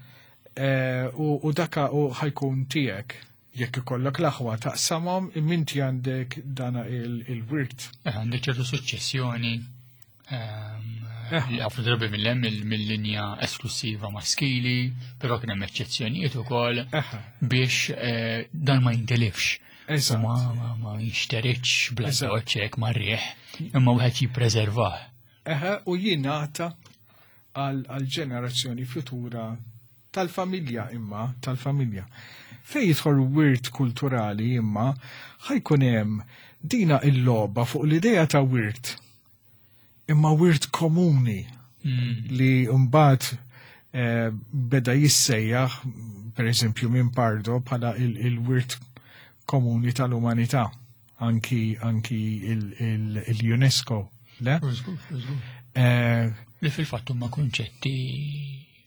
Eh, u, u daka u ħajkun tiegħek jekk ikollok l-aħwa taqsamhom imma inti għandek dana il- il-wirt. Eh, Għandek ċertu suċċessjoni ehm, Eh. li ħafna drabi mill-hemm mill-linja esklusiva maskili, però kien hemm eċċezzjonijiet ukoll Eħe, biex eh, dan ma jintilifx. U eżatt. ma ma ma jinxteritx bla Eżatt. doċċek ma rieħ, imma wieħed jippreservah. Eħe, u jingħata għal għal ġenerazzjoni futura tal-familja imma, tal-familja. Fej jidħol wirt kulturali imma ħajkun hemm dina il-logħba fuq l-idea ta' wirt. Imma wirt komuni Mm. li mbagħad eh, beda jissejjaħ per eżempju minn Pardo bħala il- il-wirt komuni tal-umanità anki anki il- il- il-UNESCO le? Żgur, żgur. Eh, Li fil-fatt huma kunċetti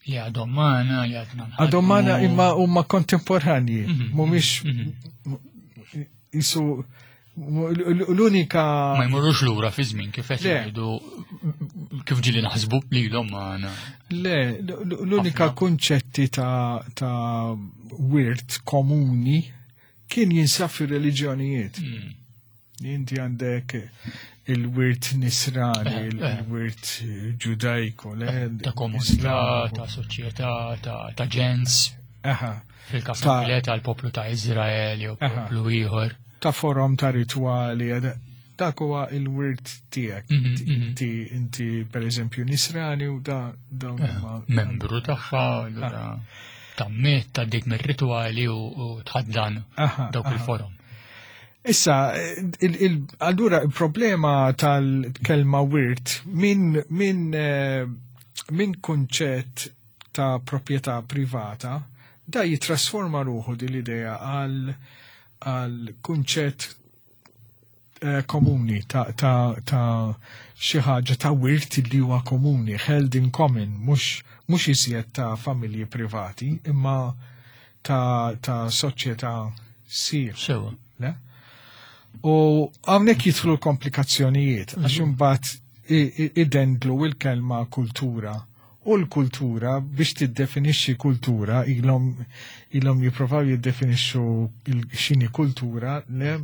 li għadhom magħna, li għadna nħaddmu. Għadhom magħna imma huma kontemporanji, Mhm, mhumiex mhm. jisu L-unika. Ma jmorrux lura fi żmien kif qed jgħidu, kif ġieli naħsbu lilhom magħna. Le, l-unika kunċetti ta' ta' wirt komuni kien jinsab fir-reliġjonijiet. Hmm. Inti għandek il-wirt nisrani, eh, eh. il-wirt ġudajku, ta' komunità, ta' soċjetà, ta' ġens. Fil-kas tal-poplu ta' Izrael jew poplu ieħor. Ta' forom ta' ritwali, dak huwa il-wirt tiegħek. Mhm, mhm. Inti, inti per eżempju nisrani u da dawn eh, huma membru tagħha, allura tammet ta' dik mir-ritwali u tħaddan dawk il-forom. Issa, allura il-problema tal-kelma wirt minn min, eh, min kunċett ta' proprjetà privata da jitrasforma ruħu din l-idea għal għal kunċett eh, komuni ta' ta' ta' xi ħaġa ta' wirt li huwa komuni, held in common, mhux mhux iżjed ta' familji privati, imma ta' ta' soċjetà sir. Sewa. Le? U hawnhekk jidħlu l-komplikazzjonijiet, għax mhm. imbagħad idendlu il-kelma kultura. U l-kultura, biex tiddefinixxi kultura, ilhom ilhom jipprovaw jiddefinixxu x'inhi kultura le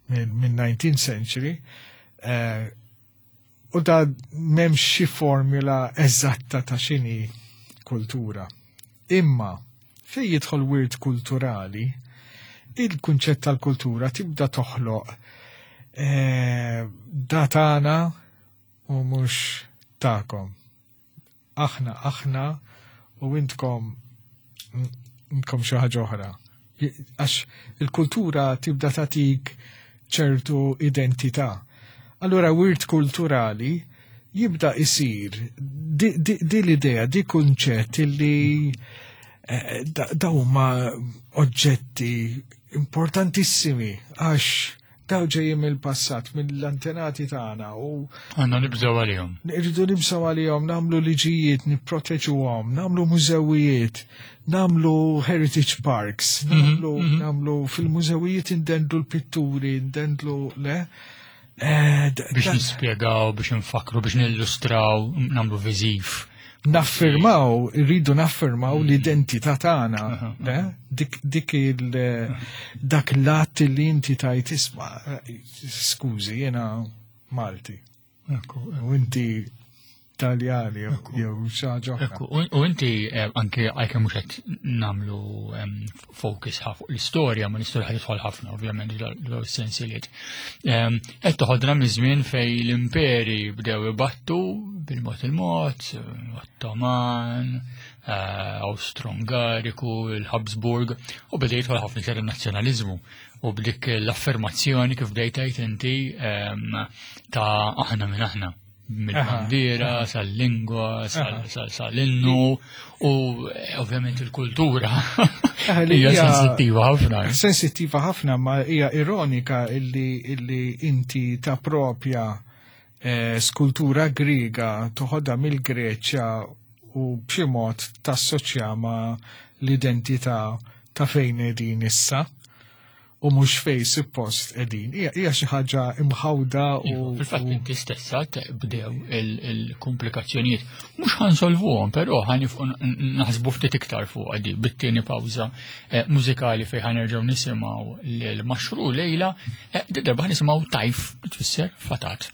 mill-nineteenth century. Eh, u da m'hemmx xi formula eżatta ta' x'inhi kultura. Imma fejn jidħol wirt kulturali, il-kunċett tal-kultura tibda toħloq eh, da tagħna u mhux tagħkom. Aħna, aħna u intkom intkom xi ħaġa oħra. Għax il-kultura tibda tagħtik ċertu identità. Allura wirt kulturali jibda isir di, di, di l-idea, di kunċett li eh, da huma oġġetti importantissimi għax daw ġejjin mill-passat, mill-antenati tagħna u għandna nibżgħu għalihom. Irridu nibżgħu għalihom, nagħmlu liġijiet, nipproteġuhom, nagħmlu mużewijiet, nagħmlu heritage parks, mhm, nagħmlu mm -hmm. nagħmlu fil-mużewijiet indendlu l-pitturi, indendlu le. Eh, biex nispjegaw, biex nfakru, biex nillustraw, nagħmlu viżiv. Naffirmaw, irridu naffirmaw mm. l-identità tagħna, le? Dik, dik il dak l-att li inti tajt isma', skużi, jiena Malti. U inti Taljani jew xi ħaġa oħra. U inti eh, anke għalkemm mhux qed nagħmlu focus fuq l-istorja, ma l-istorja ħad tidħol ħafna ovvjament dawn is-sensiliet. Qed toħodna miż-żmien fejn l-imperi bdew ibattu bil-mod il-mod, Ottoman, eh, Austro-Ungariku, il-Habsburg, u beda jidħol ħafna iktar in-nazzjonaliżmu u b'dik l-affermazzjoni kif bdejt tgħid inti ta' aħna minn aħna, mill-bandiera, sal-lingwa, sal-innu u eh, ovvjament il-kultura. Hija sensittiva ħafna. Sensittiva ħafna, ma hija ironika illi, illi inti ta' propja eh, skultura Griega toħodha mill-Greċja u b'xi mod tassoċja ma' l-identità ta' fejn qegħdin issa u mhux fej suppost qegħdin. Hija xi ħaġa imħawda u iva, fil-fatt inti stessa bdew il-komplikazzjonijiet. Mhux ħansolvuhom, però ħanifqu naħsbu ftit iktar fuq għadi bit-tieni pawża eh, mużikali fejn ħanerġgħu nisimgħu l-Maxru Lejla, eh, darba ħanisimgħu Tajf tfisser fatat.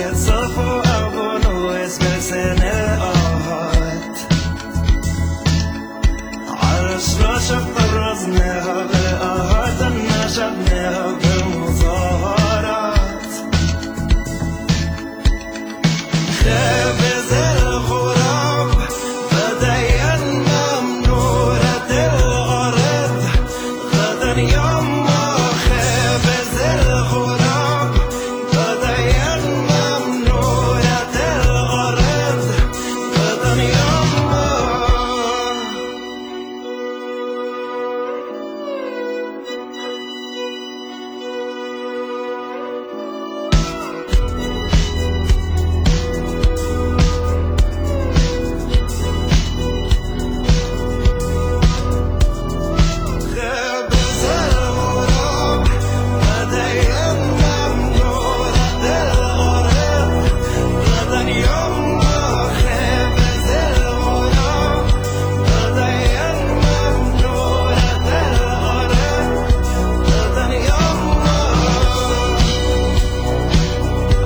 بيتصفوا أبو نويس بلسان الآهات عالرشراشة طرزناها بالآهات نشبناها بالمظاهرات خبز الغراب بدينا منورة الأرض غدا يما خبز الغراب بدينا منورة الأرض غدا يما. خبز الغراب بدينا منورة الأرض غدا يما خبز الغراب بدينا منورة الأرض غدا يما.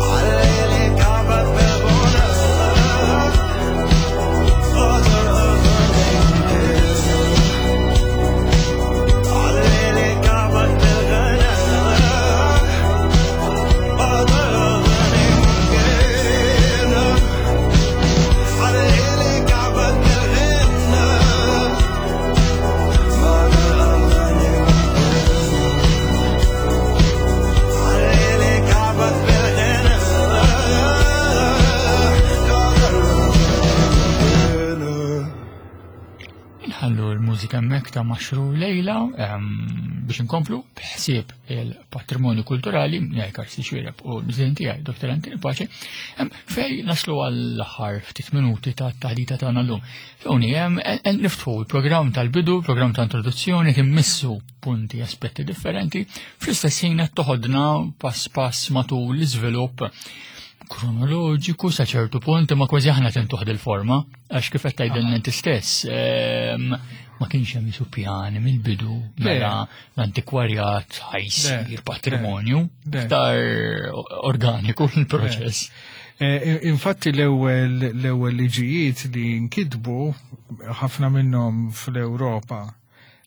عليلي كعبة بالغنى قدر أغني عليلي كعبة بالغنى قدر أغني ممكن عليلي كعبة بالغنى قدر أغني ممكن عليلي كعبة بالغنى قدر أغني. Nħallu l-mużika hemmhekk ta' Maxru Lejla em, biex inkomplu b'ħsieb il-patrimonju kulturali miegħi Karsi Xwireb u l-miżien tiegħi Doktor Anthony Pace em, fej naslu għall-aħħar ftit minuti ta' taħdita tagħna llum. Fejn hemm niftħu l-programm tal-bidu, programm ta' introduzzjoni timmissu punti aspetti differenti, fl-istess ħin qed toħodna pass pass matul l-iżvilupp kronoloġiku sa ċertu punt, imma kważi aħna tintuħ il-forma, għax kif qed tgħidilna inti stess, ehm, ma kienx hemm isu pjani mill-bidu mela l-antikwarjat ħajsir Le, patrimonju, le. iktar organiku l-proċess. Eh, Infatti l-ewwel l-ewwel liġijiet li nkitbu ħafna minnhom fl-Ewropa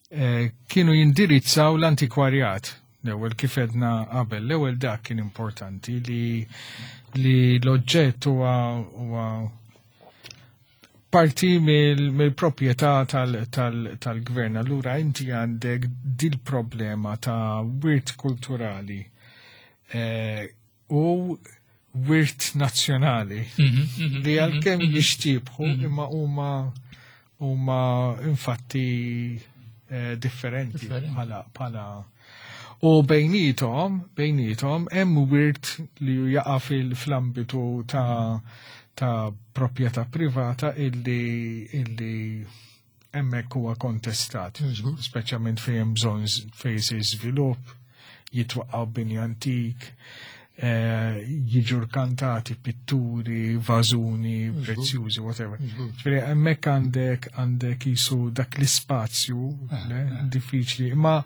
eh, kienu jindirizzaw l-antikwarjat. L-ewwel kif edna qabel, l-ewwel dak kien importanti li li l-oġġett huwa huwa parti mill- mill-proprjetà tal- tal- tal-gvern. Allura inti għandek dil-problema ta' wirt kulturali eh, u wirt nazzjonali Mhm, mhm, li għalkemm mhm, jixtiebħu imma huma huma infatti eh, differenti Differenti. bħala bħala u bejnietom bejnietom hemm wirt li jaqa' fil- fl-ambitu ta' ta' proprjetà privata illi illi hemmhekk huwa kontestat, Żgur. speċjalment fejn hemm bżonn z- fejn jsir żvilupp, jitwaqqgħu bini antik, eh, jiġu rkantati pitturi, vażuni, prezzjużi, whatever. Ġifieri hemmhekk għandek għandek jisu dak l-ispazju le, diffiċli, imma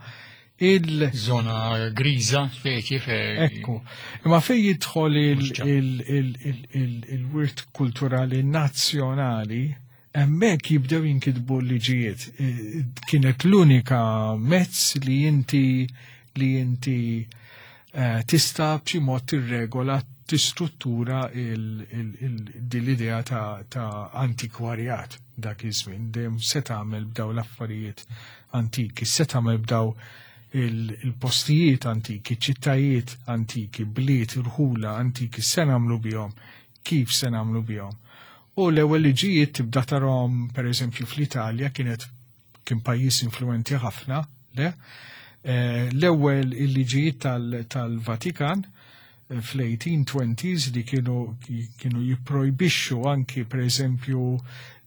il- Zona griża, speċi fej. Ekku, imma fej jidħol il- Mhux ċar. il- il- il- il- il-wirt kulturali nazzjonali, hemmhekk jibdew jinkitbu l-liġijiet. Eh, Kienet l-unika mezz li inti li inti eh, tista' b'xi mod tirregola tistruttura il- il- il- din l-idea ta', ta' antikwarjat dak iż-żmien. Dejjem se tagħmel b'daw l-affarijiet antiki, se tagħmel b'daw il- il-postijiet antiki, ċittajiet antiki, bliet, irħula antiki, se nagħmlu bihom, kif se nagħmlu bihom. U l-ewwel liġijiet tibda tarahom pereżempju fl-Italja kienet kien pajjiż influenti ħafna, le? Eh, L-ewwel il-liġijiet tal- tal-Vatikan eh, fl-eighteen twenties li kienu kienu jipprojbixxu anki pereżempju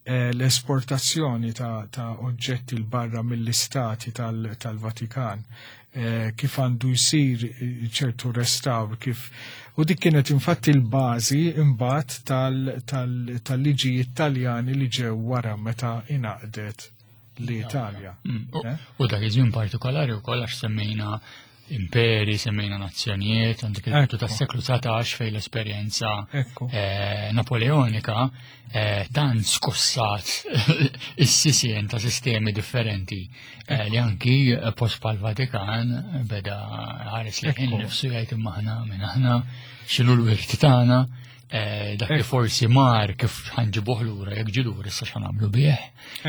eh, l-esportazzjoni ta', ta' oġġetti l barra mill-istati tal- tal-Vatikan, eh, kif għandu jsir eh, ċertu restawr, kif u dik kienet infatti l-bażi imbagħad tal- tal- tal-liġijiet Taljani li ġew wara meta ingħaqdet l-Italja. Mm, u- Eh? U dak iż-żmien partikolari wkoll għax semmejna imperi, semmejna nazzjonijiet, għandek il-bidu Ekku. tas-seklu dsatax fejn l-esperjenza Ekku. eh, napoleonika eh, dan skossat is-sisien ta' sistemi differenti eh, li anki post pal-Vatikan beda ħares li Ekku. nifsu jgħid, imma aħna minn aħna, x'inhu l-wirt tagħna, eh, dak li Ekku. forsi mar kif ħa nġibuh lura, jekk ġie lura issa x'ħa nagħmlu bih.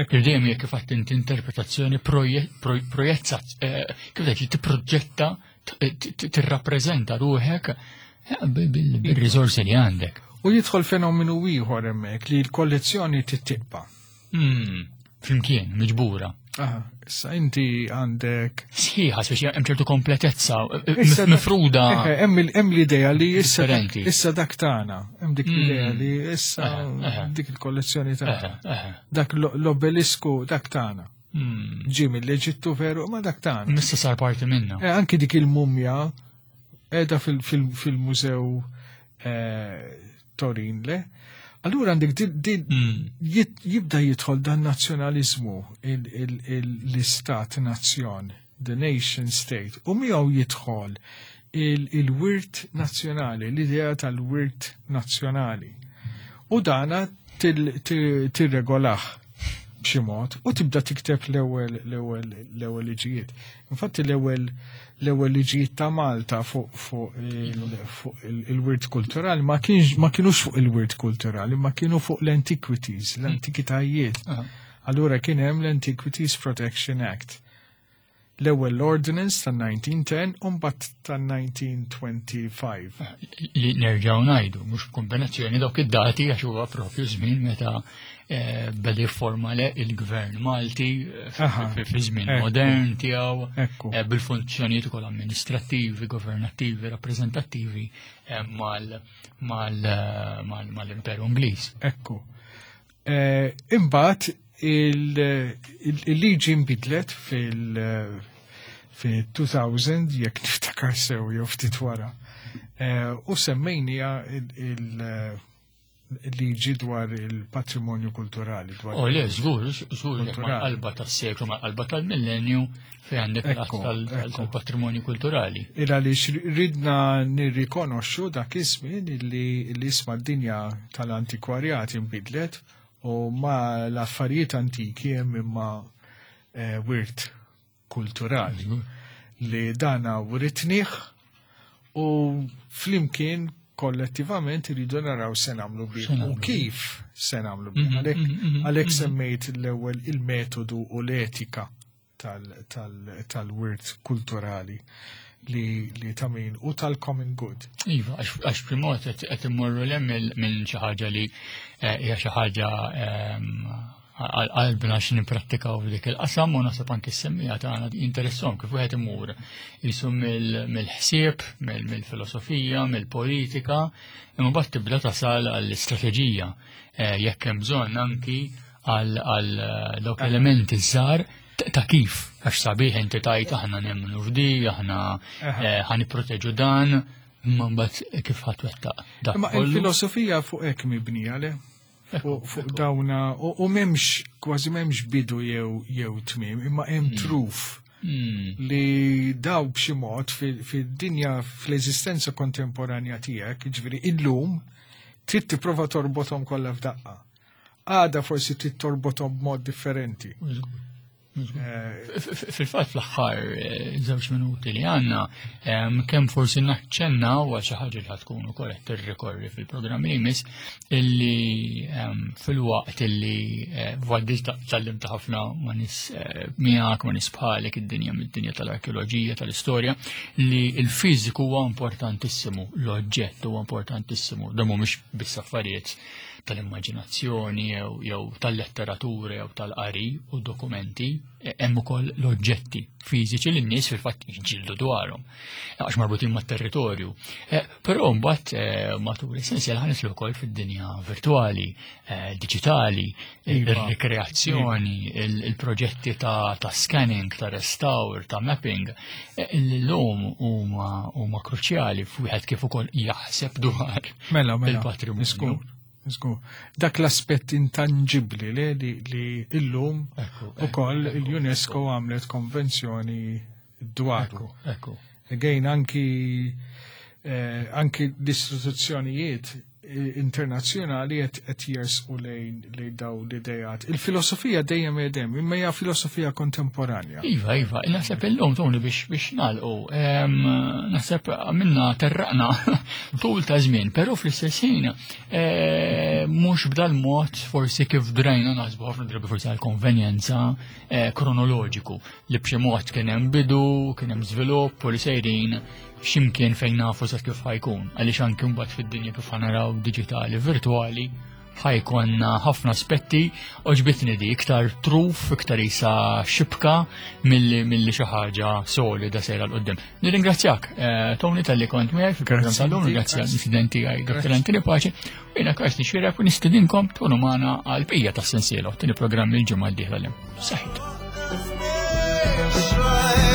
Ekku. Dejjem jekk kif għedt inti interpretazzjoni proje- proj- projezza, eh, kif tgħid li tipproġetta, t- t- tirrappreżenta ruħek eh, bil- bil- bil-riżorsi li għandek. U jidħol fenomenu ieħor hemmhekk li l-kollezzjoni tittiqba. Hmm, Flimkien, miġbura. Aha, issa inti għandek Sħiħa, speċi hemm ċertu kompletezza, eh, Issa dak- mifruda. Eh, Hemm il- hemm l-idea li issa dak- Differenti. issa dak tagħna, hemm dik l-idea Mm. li issa Eh, eh. dik il-kollezzjoni tagħna. Eh, eh. Dak l- l-obelisku dak tagħna. Hmm. Ġie mill-Eġittu veru, ma dak tagħna. Issa sar parti minna. Eh, anki dik il-mumja edha fil-mużew eh, Torin, le? Allura għandek di- di- Hmm. jit- jibda jidħol dan nazzjonalizmu, il- il- il- l-istat nazzjon, the nation state, u miegħu jidħol il- il-wirt nazzjonali, l-idea tal-wirt nazzjonali. U dana til- til- tirregolah b'xi mod u tibda tikteb l-ewwel l-ewwel l-ewwel liġijiet. Infatti l-ewwel l-ewwel liġijiet ta' Malta fuq fuq il- fuq il- il-wirt kulturali ma kienx ma kienux fuq il-wirt kulturali, ma kienu fuq l-antiquities, l-antikitajiet. Ah. Allura kien hemm l-Antiquities Protection Act. L-ewwel ordinance tan-elf disa' mija u għaxra u mbagħad tan-elf disa' mija u tlieta u għoxrin. Li nerġaw ngħidu, mhux b'kombinazzjoni dawk id-dati, għax huwa propju żmien meta eh, beda jifforma le il-gvern Malti eh, Aha. fi fi żmien Ekku. modern tiegħu Ekku. eh, bil-funzjonijiet ukoll amministrattivi, governattivi, rappreżentattivi eh, mal- mal- eh, mal- mal-Imperu Ingliż. Ekku. Eh, Imbagħad il- il- il-liġi nbidlet fil- fil-elfejn, jekk niftakar sew jew ftit wara. Eh, U semmejnija il- il- il-liġi dwar il-patrimonju kulturali. Dwar O le, żgur, żgur, jekk Kulturali. mal-qalba tas-seklu, mal-qalba tal-millenju fejn għandek l-att Ekku, tal- tal- ekku. tal-patrimonju kulturali. Il għaliex ridna nirrikonoxxu dak iż-żmien illi li isma' d-dinja tal-antikwarjat inbidlet u ma l-affarijiet antiki hemm imma eh, wirt kulturali li dana writnih u flimkien kollettivament iridu naraw se nagħmlu bih Se u nagħmlu kif se nagħmlu bih. Mhm, Għalhekk mhm, mhm, għalhekk mhm. semmejt l-ewwel il-metodu u l-etika tal- tal- tal-wirt kulturali li, li ta' min u tal-common good. Iva, għax għax primot qed immorru lem minn xi ħaġa li eh, hija xi ħaġa ehm, għal qalbna xi nipprattikaw f'dik il-qasam u naħseb anke s-semmija tagħna jinteressom kif wieħed imur jisu mill- mill-ħsieb, mill- mill-filosofija, mill-politika, imma mbagħad tibda tasal għall-istrateġija eh, jekk hemm bżonn anki għal għal eh, dawk elementi żgħar ta' ta' kif, għax sabiħ inti tajt aħna nemmnu f'di, aħna Aha. eh, ħa nipproteġu dan, imma mbagħad kif ħa twettaq dak Imma kollu. il-filosofija fuq hekk mibnija le? Fuq fuq dawna u, u m'hemmx kważi m'hemmx bidu jew jew tmiem, imma hemm truf Mm, li daw b'xi mod fil- fid-dinja fl-eżistenza kontemporanja tiegħek, jiġifieri illum trid tipprova torbothom kollha f'daqqa. Għada forsi trid torbothom b'mod differenti. Eh, F- f- Fil-fatt fl-aħħar eh, żewġ minuti li għandna, em, kemm forsi naċċenna u għal xi ħaġa li ħa tkun ukoll qed tirrikorri fil-programm li jmiss illi em, fil-waqt illi eh, għaddit tgħallimt ħafna ma' nies eh, miegħek ma' nies bħalek id-dinja mid-dinja tal-arkeoloġija tal-istorja li l-fiżiku huwa importantissimu, l-oġġett huwa importantissimu, dan mhumiex biss affarijiet tal-immaġinazzjoni jew jew tal-letteratura jew tal-qari u dokumenti, e- hemm ukoll l-oġġetti fiżiċi li n-nies fil-fatt jiġġieldu dwarhom għax marbutin mat-territorju. Eh, Però mbagħad eh, matul is-sensiela ħa nidħlu wkoll fid-dinja virtuali, eh, diġitali, Iva. ir-rikreazzjoni, il- il-proġetti ta' ta' scanning, ta' restawr, ta' mapping, eh, l-lum huma huma kruċjali f'wieħed kif ukoll jaħseb dwar Mela, mela. il-patrimonju. Żgur, żgur. Dak l-aspett intangibli le, li, li illum Ekku, ukoll ekku, il-UNESCO għamlet konvenzjoni dwaru. Ekku, ekku. Again, anki eh, anki l-istituzzjonijiet eh, internazzjonali qed qed jersqu lejn lejn daw l-idejat. Il-filosofija dejjem hemm, imma hija filosofija kontemporanja. Iva, iva, naħseb illum, Tony, biex biex nagħlqu, em, naħseb għamilna terraqna tul ta' żmien, però fl-istess ħin eh, mhux b'dal mod forsi kif drajna naħsbu ħafna drabi, forsi għal konvenjenza eh, kronoloġiku li b'xi mod kien hemm bidu, kien hemm żvilupp u li sejrin x'imkien fejn nafu sa kif ħa jkun. Għaliex anke mbagħad fid-dinja kif ħa naraw diġitali, virtuali, ħa jkollna ħafna aspetti. Għoġbitni di iktar truf, iktar isa xibka milli milli xi ħaġa solida sejra 'l quddiem. Nirringrazzjak, eh, Tony, talli kont miegħi fil-programm Grazzi tal-lum, inti, ringrazzjak grazzi. l-istudenti għaj Dottor Grazzi. Anthony Pace, u jiena Karsten Xirek u nistedinkom tkunu magħna għal bqija tas-sensiela, tieni programm il-ġimgħa d-dieħla li. Saħħit. Try.